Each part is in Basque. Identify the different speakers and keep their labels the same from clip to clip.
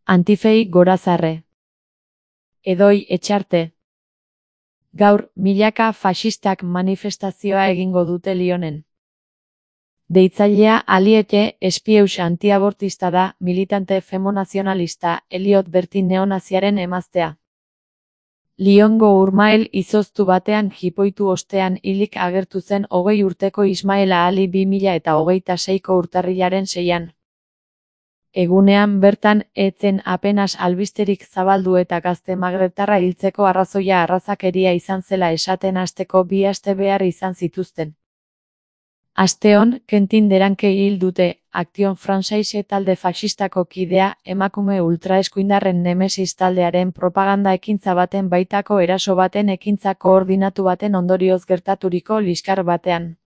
Speaker 1: Antifei gorazarre. Edoi etxarte. Gaur, milaka faxistak manifestazioa egingo dute Lyonen. Deitzailea Aliete espieus antiabortista da, militante femonazionalista, Eliot Bertin neonaziaren emaztea. Lyongo urmael izoztu batean jipoitu ostean hilik agertu zen 20 urteko Ismaela Ali 2026ko urtarrilaren 6an. Egunean bertan, etzen apenas albisterik zabaldu eta gazte magrebtarra hiltzeko arrazoia arrazakeria izan zela esaten hasteko 2 aste behar izan zituzten. Asteon, Quentin Deranke hil dute, Action Française talde faxistako kidea, emakume ultraeskuindarren Nemesis taldearen propaganda ekintza baten baitako eraso baten ekintza koordinatu baten ondorioz gertaturiko liskar batean.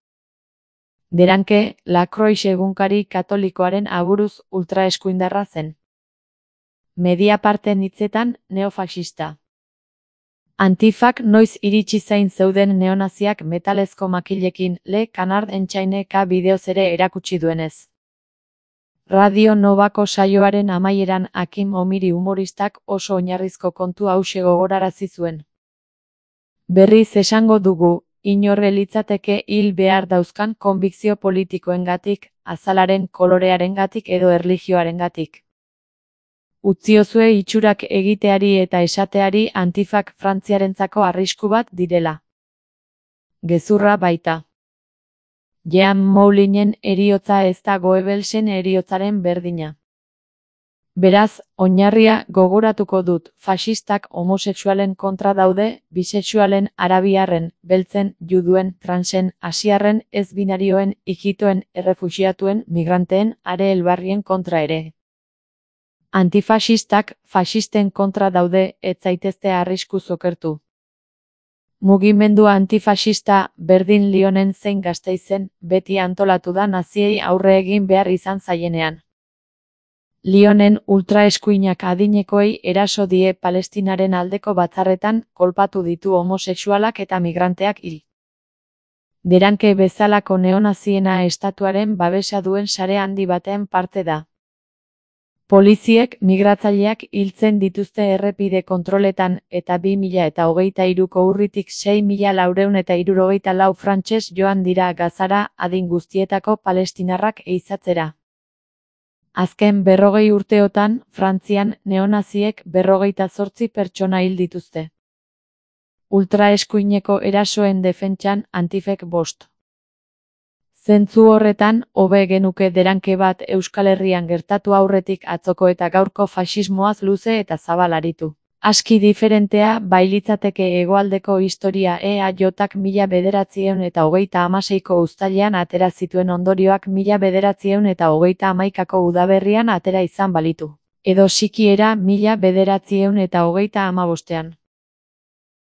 Speaker 1: Deranke, La Croix egunkari katolikoaren aburuz ultraeskuindarra zen. Mediaparten hitzetan, neofaxista. Antifak noiz iritsi zain zeuden neonaziak metalezko makilekin, Le Canard Enchaîné-ka bideoz ere erakutsi duenez. Radio Novako saioaren amaieran Hakim Omiri humoristak oso oinarrizko kontu hauxe gogorarazi zuen. Berriz esango dugu, inorre litzateke hil behar dauzkan konbikzio politikoengatik, azalaren kolorearengatik edo erlijioarengatik. Utziozue itxurak egiteari eta esateari antifak Frantziarentzako arrisku bat direla. Gezurra baita. Jean Moulinen eriotza ez da Goebbelsen eriotzaren berdina. Beraz, oinarria gogoratuko dut, faxistak homosexualen kontra daude, bisexualen, arabiarren, beltzen, juduen, transen, asiarren, ez-binarioen, ijitoen, errefuxiatuen, migranteen, are elbarrien kontra ere. Antifaxistak, faxisten kontra daude, ez zaitezte arriskuz okertu. Mugimendua antifaxista, berdin Lyonen zein Gasteizen, beti antolatu da naziei aurre egin behar izan zaienean. Lyonen ultraeskuinak adinekoei eraso die Palestinaren aldeko batzarretan, kolpatu ditu homosexualak eta migranteak hil. Deranke bezalako neonaziena estatuaren babesa duen sare handi baten parte da. Poliziek migratzaileak hiltzen dituzte errepide kontroletan eta 2023ko urritik 6.474 frantses joan dira Gazara adin guztietako palestinarrak ehizatzera. Azken 40 urteotan, Frantzian neonaziek 58 pertsona hil dituzte. Ultraeskuineko erasoen defentsan Antifek 5. Zentzu horretan, hobe genuke Deranke bat Euskal Herrian gertatu aurretik atzoko eta gaurko faxismoaz luze eta zabal aritu. Aski diferentea bailitzateke hegoaldeko historia EAJak 1936ko uztailean atera zituen ondorioak 1938ko udaberrian atera izan balitu. Edo sikiera 1935ean.